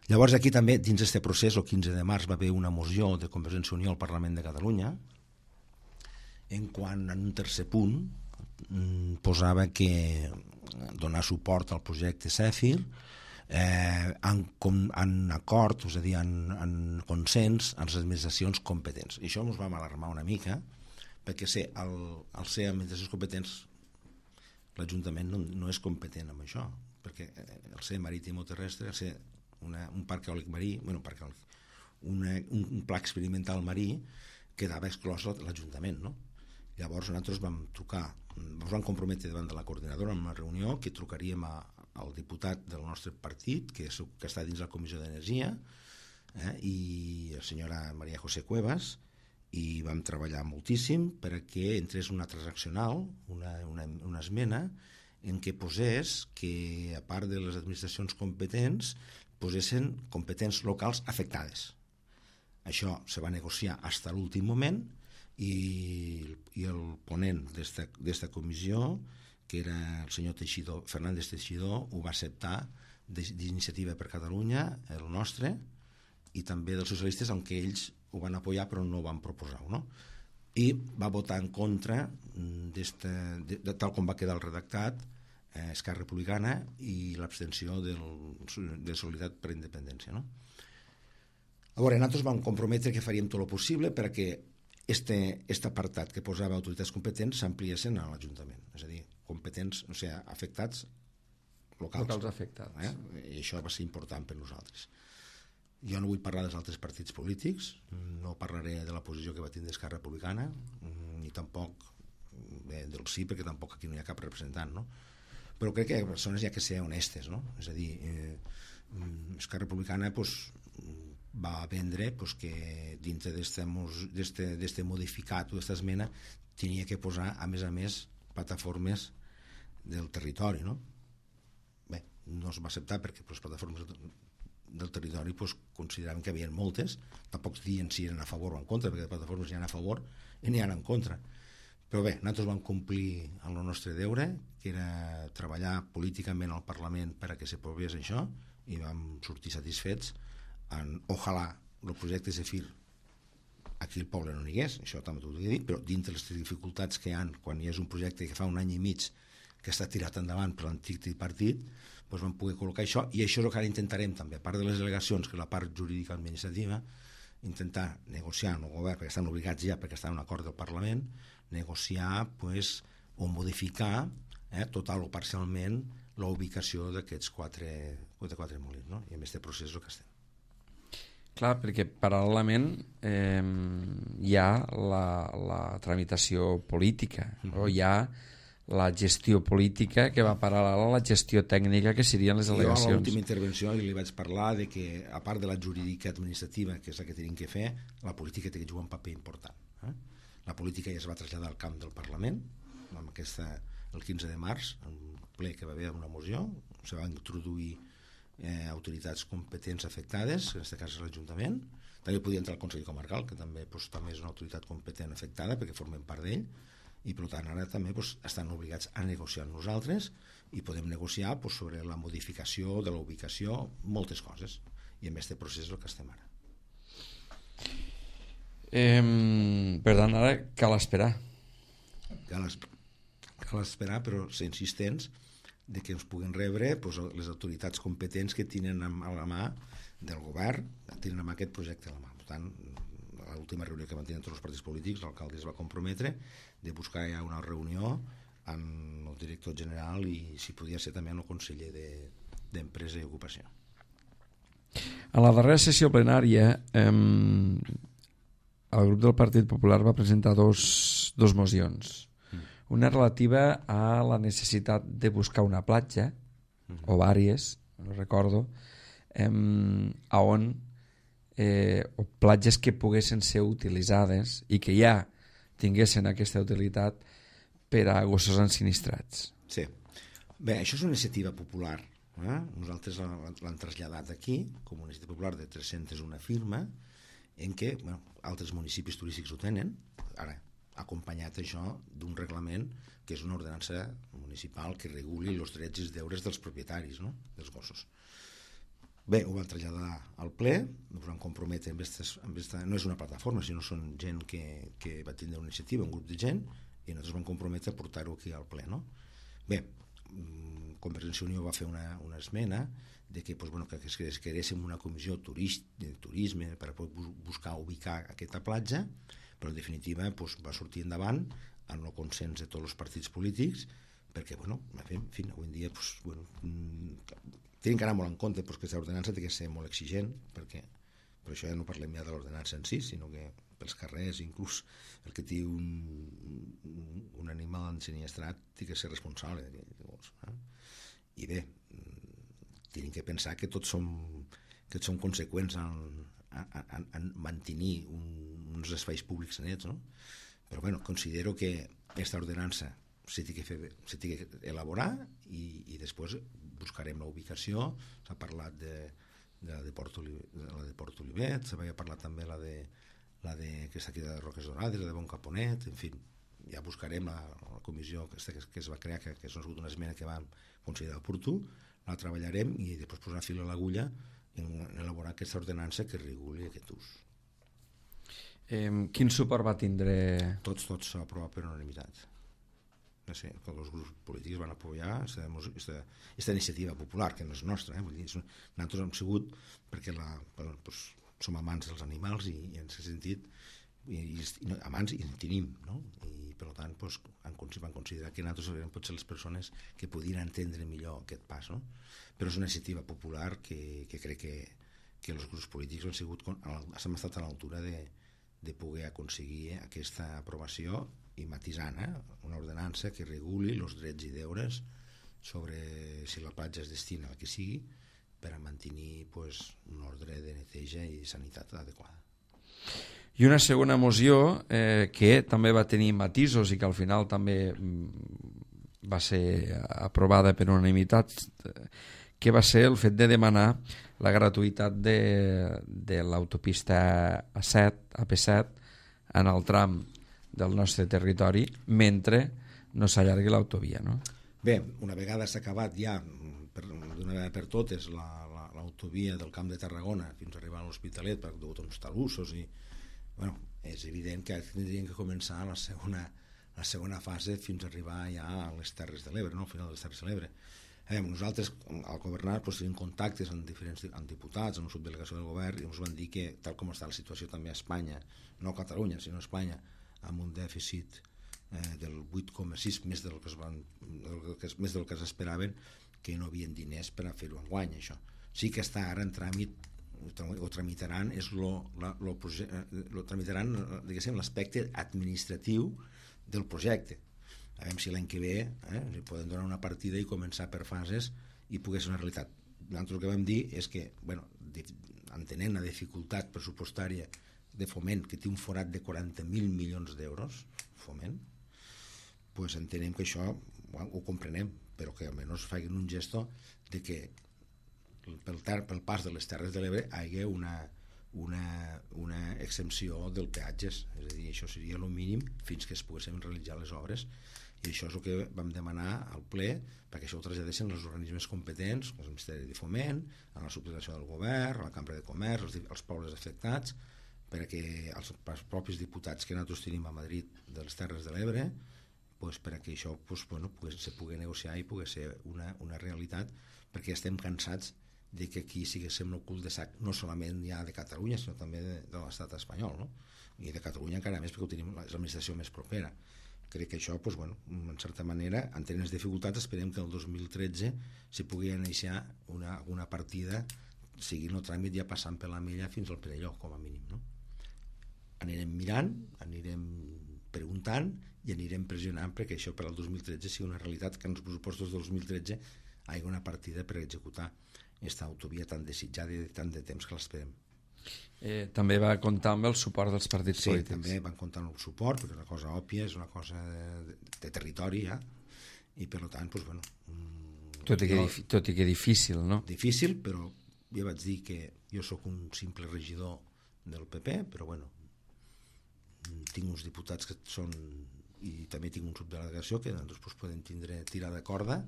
Llavors aquí també, dins d'aquest procés, el 15 de març va haver una moció de Convergència i Unió al Parlament de Catalunya, en quan en un tercer punt posava que donar suport al projecte Zèfir en acord, és a dir, en consens amb les administracions competents. I això ens va alarmar una mica, perquè al ser administracions competents l'Ajuntament no és competent amb això, perquè el ser marítim o terrestre, el ser un parc eòlic marí, un pla experimental marí, quedava exclòs l'Ajuntament, no? Llavors nosaltres vam comprometre davant de la coordinadora en una reunió que trucaríem el diputat del nostre partit, que està dins la Comissió d'Energia, i la senyora Maria José Cuevas, i vam treballar moltíssim perquè entrés una transaccional, una esmena, en què posés que, a part de les administracions competents, posessin competents locals afectades. Això se va negociar fins a l'últim moment i el ponent d'esta comissió, que era el senyor Fernández Teixidor, ho va acceptar d'Iniciativa per Catalunya, el nostre, i també dels socialistes, aunque ells ho van apoyar però no ho van proposar, no? I va votar en contra de tal com va quedar el redactat Esquerra Republicana i l'abstenció de Solidaritat per la Independència, no? Llavors, nosaltres vam comprometre que faríem tot el possible perquè aquest apartat que posava autoritats competents s'ampliessin a l'Ajuntament, és a dir, competents, o sigui, afectats locals afectats. I això va ser important per nosaltres. Jo no vull parlar dels altres partits polítics, no parlaré de la posició que va tindre Esquerra Republicana, ni tampoc del sí, perquè tampoc aquí no hi ha cap representant, no? Però crec que les persones hi ha que ser honestes, no? És a dir, Esquerra Republicana va vendre que dintre d'este modificat o d'esta esmena tenia que posar, a més, plataformes del territori, no? Bé, no es va acceptar perquè les plataformes del territori consideraven que hi havia moltes, tampoc dient si eren a favor o en contra, perquè de plataformes n'hi ha a favor i n'hi ha en contra. Però bé, nosaltres vam complir el nostre deure, que era treballar políticament al Parlament per a que s'aprovés això, i vam sortir satisfets ojalà el projecte Zefir aquí al poble no n'hi hagués, això també t'ho he dit, però dintre les dificultats que hi ha quan hi és un projecte que fa un any i mig que està tirat endavant per l'antic tripartit, vam poder col·locar això, i això és el que ara intentarem també, a part de les delegacions, que és la part jurídica administrativa, intentar negociar amb el govern, perquè estan obligats ja, perquè està en un acord del Parlament, negociar o modificar total o parcialment la ubicació d'aquests quatre molins, no? I en aquest procés és el que estem. Clar, perquè paral·lelament hi ha la tramitació política, o hi ha la gestió política que va paral·lela a la gestió tècnica que serien les delegacions. Jo a l'última intervenció li vaig parlar de que, a part de la jurídica administrativa, que és la que tenim que fer, la política té que jugar un paper important. La política ja es va traslladar al camp del Parlament, amb el 15 de març, en un ple que va haver una moció, se van introduir autoritats competents afectades, en aquest cas l'Ajuntament, també podia entrar el Consell Comarcal, que també és una autoritat competent afectada perquè formem part d'ell, i per tant ara també estan obligats a negociar amb nosaltres i podem negociar sobre la modificació de la ubicació, moltes coses, i en aquest procés és el que estem ara. Per tant, ara cal esperar. Cal esperar, però ser insistents de que ens puguen rebre les autoritats competents que tenen a la mà del govern, tenen a mà aquest projecte a la mà. Per tant, a l'última reunió que van tenir tots els partits polítics, l'alcalde es va comprometre de buscar ja una reunió amb el director general i si podia ser també amb el conseller d'Empresa i Ocupació. A la darrera sessió plenària el grup del Partit Popular va presentar dos mocions. Una relativa a la necessitat de buscar una platja, o vàries, no recordo, on o platges que poguessin ser utilitzades i que ja tinguessin aquesta utilitat per a gossos ensinistrats. Sí. Bé, això és una iniciativa popular. Nosaltres l'hem traslladat aquí com una iniciativa popular de 301 firma en què altres municipis turístics ho tenen, ara acompanyat això d'un reglament que és una ordenança municipal que reguli els drets i els deures dels propietaris, no? Dels gossos. Bé, ho van traslladar al ple, ens van comprometre amb no és una plataforma, sinó són gent que va tindre una iniciativa, un grup de gent, i nosaltres vam comprometre a portar-ho aquí al ple, no? Bé, Convergència i Unió va fer una esmena de que es creéssim una comissió de turisme per buscar ubicar aquesta platja, però en definitiva va sortir endavant amb el consens de tots els partits polítics, perquè, en fi, avui en dia tenim que anar molt en compte perquè l'ordenança té que ser molt exigent, perquè per això ja no parlem ja de l'ordenança en si, sinó que pels carrers, inclús el que té un animal ensinistrat té que ser responsable d'aquell gos. I bé, tenim que pensar que tots som conseqüents en mantenir uns espais públics nets, no? Però bueno, considero que aquesta ordenança s'ha de elaborar i després buscarem la ubicació. S'ha parlat de la de Port Olivet, s'havia parlat també la de que està aquí de Roques Dorades, la de Bon Caponet, en fi, ja buscarem la comissió que es va crear, que és una esmena que vam considerar oportú, la treballarem i després posar fil a l'agulla en elaborar aquesta ordenança que reguli aquest ús. Quin suport va tindre? Tots s'ha aprovat per unanimitat. No sé, tots els grups polítics van apoyar aquesta iniciativa popular, que no és nostra, vull dir, nosaltres hem sigut perquè som amants dels animals i en aquest sentit amants i en tenim, no? I per tant van considerar que nosaltres eren potser les persones que podien entendre millor aquest pas, no? Però és una iniciativa popular que crec que els grups polítics hem estat a l'altura de poder aconseguir aquesta aprovació i matisant, una ordenança que reguli els drets i deures sobre si la platja es destina al que sigui per a mantenir un ordre de neteja i sanitat adequada. I una segona moció que també va tenir matisos i que al final també va ser aprovada per unanimitat, que va ser el fet de demanar la gratuïtat de l'autopista AP7 en el tram del nostre territori mentre no s'allargui l'autovia, no? Bé, una vegada s'ha acabat ja d'una vegada per totes l'autovia del Camp de Tarragona fins a arribar a l'Hospitalet per uns talussos i és evident que tindrien que començar la segona fase fins a arribar ja a les Terres de l'Ebre, no? Al final de les Terres de l'Ebre. Nosaltres al governar tenim contactes amb diferents diputats, amb la subdelegació del govern, i ens van dir que tal com està la situació també a Espanya, no a Catalunya sinó a Espanya, amb un dèficit del 8,6 més del que s'esperaven, que no havien diners per a fer-ho enguany. Això sí que està ara en tràmit, ho tramitaran, tramitaran l'aspecte administratiu del projecte. A veure si l'any que ve li poden donar una partida i començar per fases i poder ser una realitat. Nosaltres el que vam dir és que, entenent la dificultat pressupostària de Foment, que té un forat de 40.000 milions d'euros, Foment, entenem que això ho comprenem, però que almenys facin un gesto de que pel pas de les Terres de l'Ebre hi hagi una exempció del peatges, és a dir, això seria el mínim fins que es poguessin realitzar les obres, i això és el que vam demanar al ple, perquè això ho traslladessin als organismes competents, al Ministeri de Foment, a la subdelegació del govern, a la Cambra de Comerç, als pobles afectats, perquè els propis diputats que nosaltres tenim a Madrid de les Terres de l'Ebre, perquè això se pugui negociar i pugui ser una realitat, perquè estem cansats de que aquí siguéssim el cul de sac, no solament ja de Catalunya, sinó també de l'estat espanyol, no? I de Catalunya encara més, perquè ho tenim l'administració més propera. Crec que això, en certa manera, entenent les dificultats, esperem que el 2013 s'hi pugui iniciar una partida seguint el tràmit ja passant per la Mella fins al Perelló, com a mínim, no? Anirem mirant, anirem preguntant i anirem pressionant perquè això per al 2013 sigui una realitat, que en els pressupostos del 2013 hi hagi una partida per executar aquesta autovia tan desitjada i tant de temps que l'esperem. També va comptar amb el suport dels partits polítics. Sí, també van comptar amb el suport, perquè és una cosa òbvia, és una cosa de territori ja, i per tant, tot i que difícil, no? Difícil, però ja vaig dir que jo sóc un simple regidor del PP, però tinc uns diputats que són, i també tinc un subdelegació que nosaltres podem tirar de corda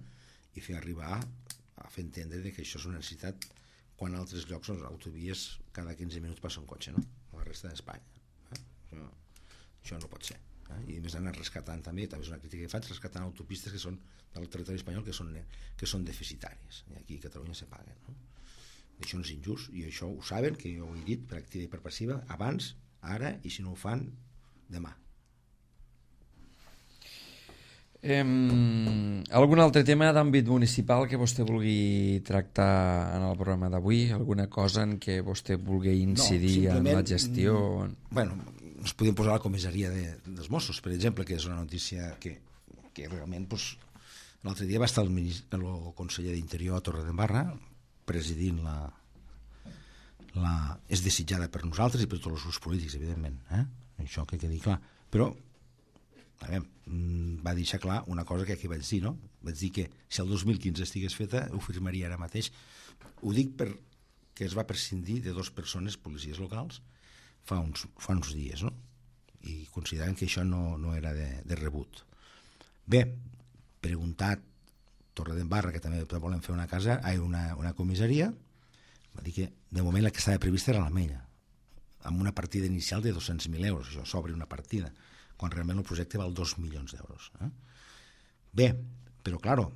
i fer arribar a fer entendre que això és una necessitat quan a altres llocs les autovies cada 15 minuts passa un cotxe, no? A la resta d'Espanya. Això no pot ser. I a més anar rescatant també és una crítica que faig, rescatant autopistes que són del territori espanyol que són deficitàries. I aquí a Catalunya se paguen, no? Això no és injust, i això ho saben, que jo ho he dit per activa i per passiva abans, ara, i si no ho fan, demà. Algun altre tema d'àmbit municipal que vostè vulgui tractar en el programa d'avui? Alguna cosa en què vostè vulgui incidir en la gestió? Ens podem posar a la comissaria dels Mossos, per exemple, que és una notícia que realment L'altre dia va estar el conseller d'Interior a Torredembarra presidint és desitjada per nosaltres i per tots els grups polítics, evidentment, això que quedi clar, però va deixar clar una cosa que aquí vaig dir, no? Vaig dir que si el 2015 estigués feta ho firmaria ara mateix. Ho dic perquè es va prescindir de 2 persones, policies locals, fa uns dies, no? I consideren que això no era de rebut. Bé, preguntat Torredembarra, que també volem fer una comissaria, va dir que de moment la que estava prevista era l'Ametlla, amb una partida inicial de 200.000 euros, això s'obre una partida, quan realment el projecte val 2 milions d'euros. Bé, però claro,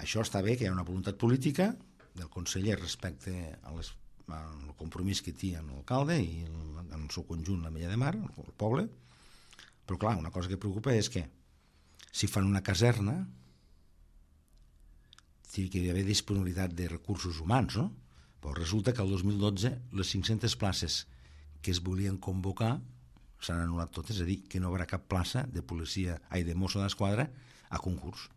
això està bé, que hi ha una voluntat política del conseller respecte al compromís que té amb l'alcalde i en el seu conjunt l'Ametlla de Mar, el poble, però clar, una cosa que preocupa és que si fan una caserna té que hi haver disponibilitat de recursos humans, no? Però resulta que el 2012 les 500 places que es volien convocar s'han anul·lat totes, és a dir, que no hi haurà cap plaça de Mosso d'Esquadra a concurs.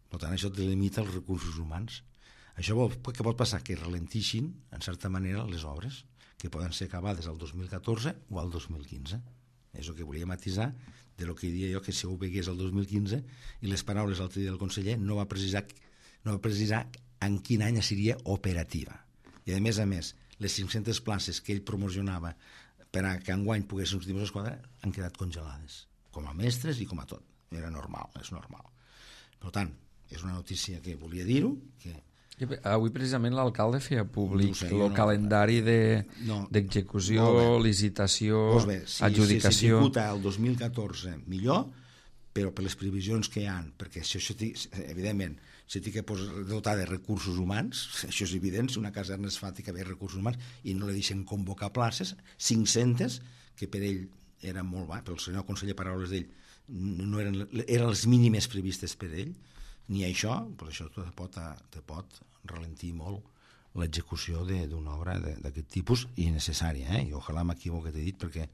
Per tant, això delimita els recursos humans. Això què pot passar? Que ralentixin, en certa manera, les obres, que poden ser acabades el 2014 o el 2015. És el que volia matisar de lo que dia jo, que si ho vegués el 2015 i les paraules l'altre dia del conseller no va precisar en quin any seria operativa. I a més, les 500 places que ell promocionava per a que enguany poguessin els Mossos d'Esquadra han quedat congelades, com a mestres i com a tot. Era normal, és normal. Per tant, és una notícia que volia dir-ho, que avui precisament l'alcalde feia públic el calendari d'execució, licitació, adjudicació. Si s'executa el 2014 millor, però per les previsions que hi ha, perquè això evidentment se té que dotar de recursos humans, això és evident, si una caserna es fa té que haver recursos humans i no li deixen convocar places, 500, que per ell eren molt baix, pel senyor conseller, paraules d'ell, no eren les mínimes previstes per ell, ni això, però això te pot ralentir molt l'execució d'una obra d'aquest tipus i necessària, i ojalà m'equivoqui que t'he dit, perquè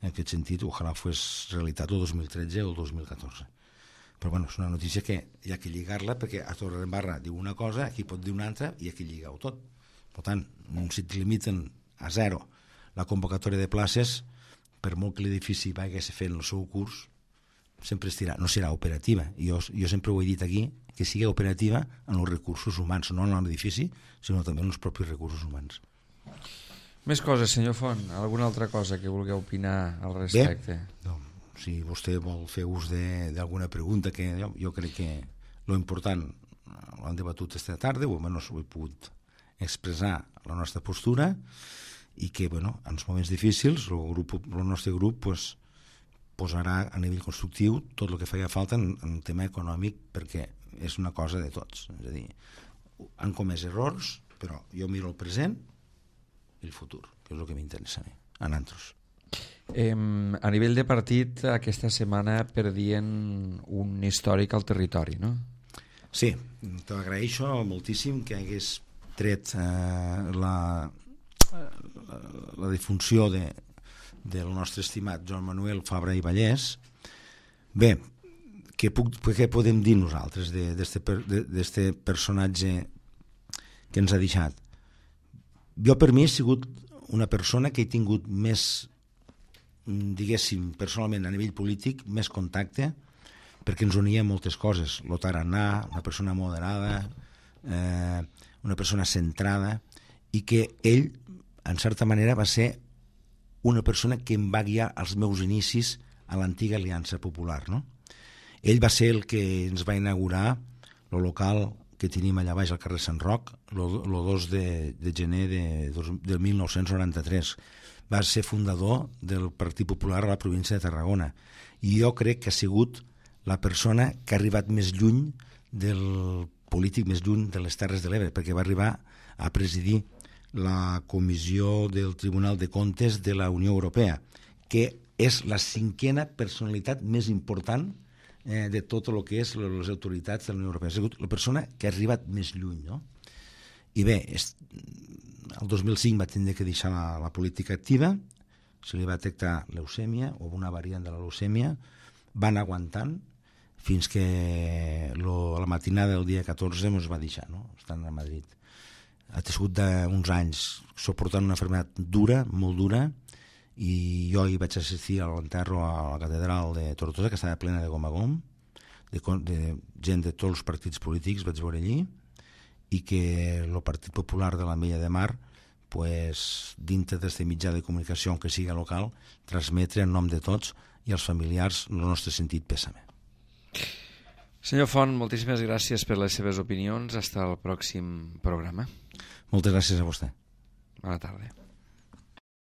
en aquest sentit ojalà fos realitat el 2013 o el 2014. Però bueno, és una notícia que hi ha que lligar-la, perquè a Torredembarra diu una cosa, aquí pot dir una altra i aquí lliga-ho tot. Per tant, si et limiten a 0 la convocatòria de places, per molt que l'edifici vagi fent el seu curs, sempre no serà operativa. Jo sempre ho he dit aquí, que sigui operativa en els recursos humans, no en l'edifici, sinó també en els propis recursos humans. Més coses, senyor Font? Alguna altra cosa que vulgueu opinar al respecte? Bé, si vostè vol fer ús d'alguna pregunta, que jo crec que l'important l'hem debatut aquesta tarda, almenys ho he pogut expressar la nostra postura, i que en els moments difícils el nostre grup posarà a nivell constructiu tot el que feia falta en el tema econòmic, perquè és una cosa de tots. És a dir, han comès errors, però jo miro el present i el futur, que és el que m'interessa a nosaltres. A nivell de partit, aquesta setmana perdien un històric al territori, no? Sí, t'agraeixo moltíssim que hagués tret la difunció del nostre estimat Joan Manuel Fabra i Vallès. Bé, què podem dir nosaltres d'este personatge que ens ha deixat? Jo, per mi, he sigut una persona que he tingut més, diguéssim, personalment a nivell polític, més contacte, perquè ens unia moltes coses. Lo tarannà, una persona moderada, una persona centrada, i que ell, en certa manera, va ser una persona que em va guiar als meus inicis a l'antiga Aliança Popular, no? Ell va ser el que ens va inaugurar el local que tenim allà baix al carrer Sant Roc el 2 de gener de 1993. Va ser fundador del Partit Popular a la província de Tarragona, i jo crec que ha sigut la persona que ha arribat més lluny del polític, més lluny de les Terres de l'Ebre, perquè va arribar a presidir la comissió del Tribunal de Comptes de la Unió Europea, que és la 5a personalitat més important de tot el que és les autoritats de la Unió Europea. Ha sigut la persona que ha arribat més lluny, no? I bé, el 2005 va tindre que deixar la política activa, se li va detectar leucèmia o una variant de la leucèmia, va anar aguantant, fins que la matinada del dia 14 ens va deixar, no? Estant a Madrid. Ha sigut d'uns anys suportant una malaltia dura, molt dura, i jo hi vaig assistir a l'enterro a la catedral de Tortosa, que estava plena de gom a gom, de gent de tots els partits polítics, vaig veure allí, i que el Partit Popular de l'Ametlla de Mar, pues, dintre d'aquest mitjà de comunicació, que sigui local, transmetre en nom de tots i als familiars el nostre sentit pèsame. Senyor Font, moltíssimes gràcies per les seves opinions. Hasta el pròxim programa. Moltes gràcies a vostè. Bona tarda.